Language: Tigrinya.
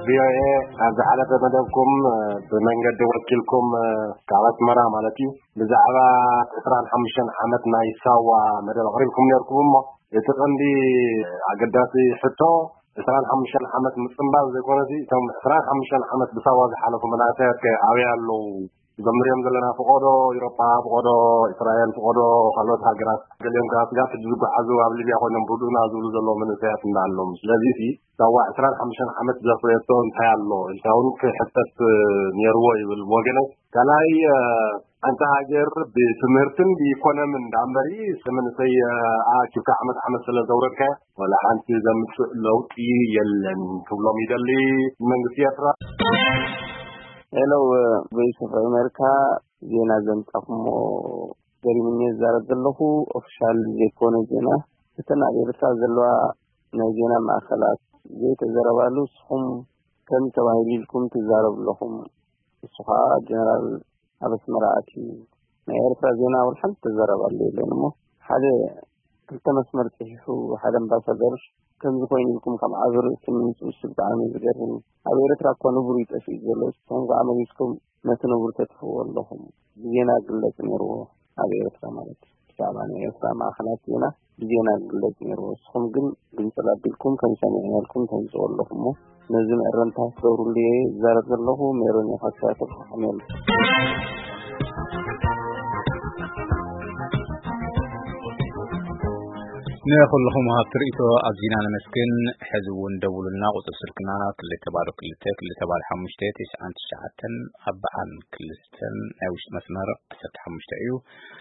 ቪኦኤ ኣብ ዝሓለፈ መደብኩም ብመንገዲ ወኪልኩም ካብ ኣስመራ ማለት እዩ ብዛዕባ ዕስራን ሓሙሽተን ዓመት ናይ ሳዋ መደብ ኣቕሪብኩም ነርኩም እሞ እቲ ቀንዲ ኣገዳሲ ሕቶ ዕስራን ሓሙሽተን ዓመት ምጽንባል ዘይኮነሲ እቶም ዕስራን ሓሙሽተን ዓመት ብሳዋ ዝሓለፉ መናእሰያት ከ ኣበይ ኣለዉ? እዞም ንሪኦም ዘለና ፍቆዶ ኢሮፓ ፍቆዶ እስራኤል ፍቆዶ ካልኦት ሃገራት ገሊኦም ከዓ ስጋብ ሕጂ ዝጓዓዙ ኣብ ሊብያ ኮይኖም ርድኡና ዝብሉ ዘለዉ መንእሰያት እንዳኣሎም ስለዚ እቲ ሳዋ ዕስራን ሓሙሽተን ዓመት ዘፍረየቶ እንታይ ኣሎ ኢልካ እውን ክሕተት ነይርዎ ይብል ወገነ ካልኣይ ሓንቲ ሃገር ብትምህርትን ብኢኮኖምን ዳኣ እምበሪ መንእሰይ ኣኪብካ ዓመት ዓመት ስለ ዘውረድካ ወላ ሓንቲ ዘምፅእ ለውጢ የለን ክብሎም ይደሊ መንግስቲ ኤርትራ ሄሎ ቮይስ ኦፍ ኣሜሪካ ዜና ዘምጻኹሞ ገሪምኒ ዝዛረብ ዘለኹ ኦፊሻል ዘይኮነ ዜና እተን ኣብ ኤርትራ ዘለዋ ናይ ዜና ማእኸላት ዘይተዘረባሉ ንስኹም ከም ተባሂሉ ኢልኩም ትዛረቡ ኣለኹም። ንሱ ከዓ ጀነራል ኣብ ኣስመራ ኣትዩ ናይ ኤርትራ ዜና ወላ ሓንቲ ተዘረባሉ የለን እሞ ሓደ ክልተ መስመር ፅሒፉ ሓደ ኣምባሳደር ከምዚ ኮይኑ ኢልኩም ካብ ዓቢ ርእሲ ምምፅኡ እሱ ብጣዕሚ እዩ ዝገርም እዩ። ኣብ ኤርትራ እኳ ንቡር እዩ ጠፊኡ ዘሎ ንስኹም ከዓ መሊስኩም ነቲ ነቡር ተጥፍእዎ ኣለኹም። ብዜና ክግለፅ ነይርዎ ኣብ ኤርትራ ማለት እዩ። ብዛዕባ ናይ ኤርትራ ማእኸላት ዜና ብዜና ክግለፅ ነይርዎ። ንስኹም ግን ግንፅል ኣቢልኩም ከም ሰሚዕናልኩም ተምፅኡ ኣለኹም እሞ ነዚ መእረምታ ክትገብሩሉ እየ ዝዛረብ ዘለኹ። ሜሮን እየ ካብ ሲያትል ከሓሜሉ። ንኹልኹም ሃብቲ ርእይቶ ኣዚና ነመስግን። ሕዚ እውን ደውሉልና። ቁፅሪ ስልክና ክልተ ባዶ ክልተ ክልተ ባዶ ሓሙሽተ ተስዓን ትሽዓተን ኣብ በዓል ክልስተን ናይ ውሽጢ መስመር ዓሰርተ ሓሙሽተ እዩ።